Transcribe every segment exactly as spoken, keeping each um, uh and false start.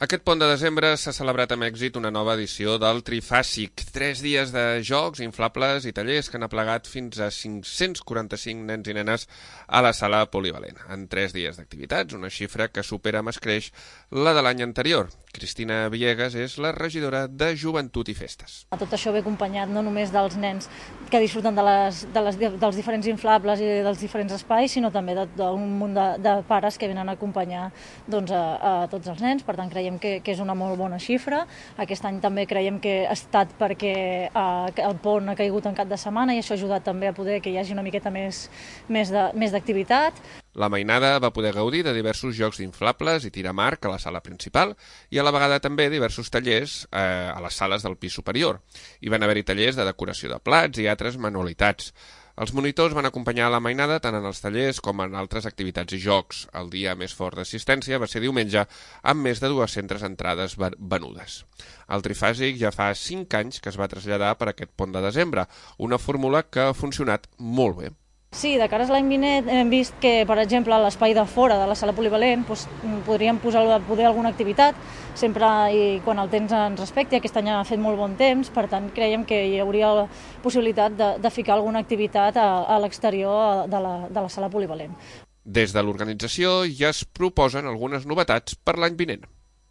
Aquest pont de desembre s'ha celebrat amb èxit una nova edició del Trifàsic. Tres dies de jocs, inflables i tallers que han aplegat fins a cinc-cents quaranta-cinc nens i nenes a la sala polivalent. En tres dies d'activitats, una xifra que supera amb escreix la de l'any anterior. Cristina Villegas és la regidora de Joventut i Festes. Tot això ve acompanyat no només dels nens que disfruten de les, de les, dels diferents inflables i dels diferents espais, sinó també d'un munt de, de pares que venen a acompanyar doncs, a, a tots els nens. Per tant, creiem que, que és una molt bona xifra. Aquest any també creiem que ha estat perquè eh, el pont ha caigut en cap de setmana i això ha ajudat també a poder que hi hagi una miqueta més, més de, més d'activitat. La mainada va poder gaudir de diversos jocs d'inflables i tirar marc a la sala principal i a la vegada també diversos tallers eh, a les sales del pis superior. Hi van haver-hi tallers de decoració de plats i altres manualitats. Els monitors van acompanyar la mainada tant en els tallers com en altres activitats i jocs. El dia més fort d'assistència va ser diumenge, amb més de dues-centes entrades venudes. El Trifàsic ja fa cinc anys que es va traslladar per aquest pont de desembre, una fórmula que ha funcionat molt bé. Sí, de cara a l'any vinent hem vist que, per exemple, a l'espai de fora de la sala polivalent doncs, podríem posar poder alguna activitat, sempre i quan el temps ens respecti. Aquest any ha fet molt bon temps, per tant creiem que hi hauria la possibilitat de, de ficar alguna activitat a, a l'exterior de la, de la sala polivalent. Des de l'organització ja es proposen algunes novetats per l'any vinent.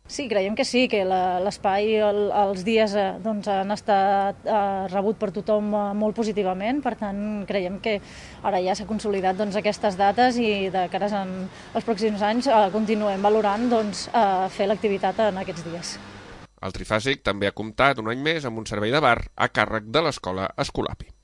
Sí, creiem que sí, que l'espai, el, els dies eh, doncs, han estat eh, rebut per tothom eh, molt positivament, per tant creiem que ara ja s'ha consolidat doncs, aquestes dates i de cara als pròxims anys eh, continuem valorant doncs, eh, fer l'activitat en aquests dies. El Trifàsic també ha comptat un any més amb un servei de bar a càrrec de l'escola Escolapi.